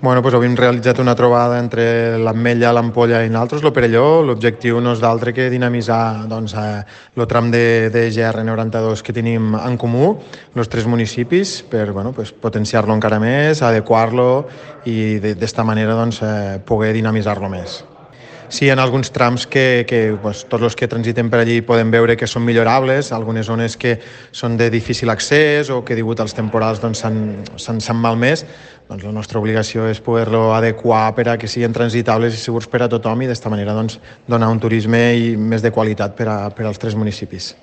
Bueno, doncs avui hem realitzat una trobada entre l'Ametlla, l'Ampolla i nosaltres, el Perelló. L'objectiu no és d'altre que dinamitzar el tram de GR92 que tenim en comú, els tres municipis, per potenciar-lo encara més, adequar-lo i d'esta manera poder dinamitzar-lo més. Sí, en alguns trams que tots els que transiten per allí poden veure que són millorables, algunes zones que són de difícil accés o que degut als temporals s'han malmès. La nostra obligació és poder-lo adequar per a que siguin transitables i segurs per a tothom i d'esta manera donar un turisme més de qualitat per als tres municipis.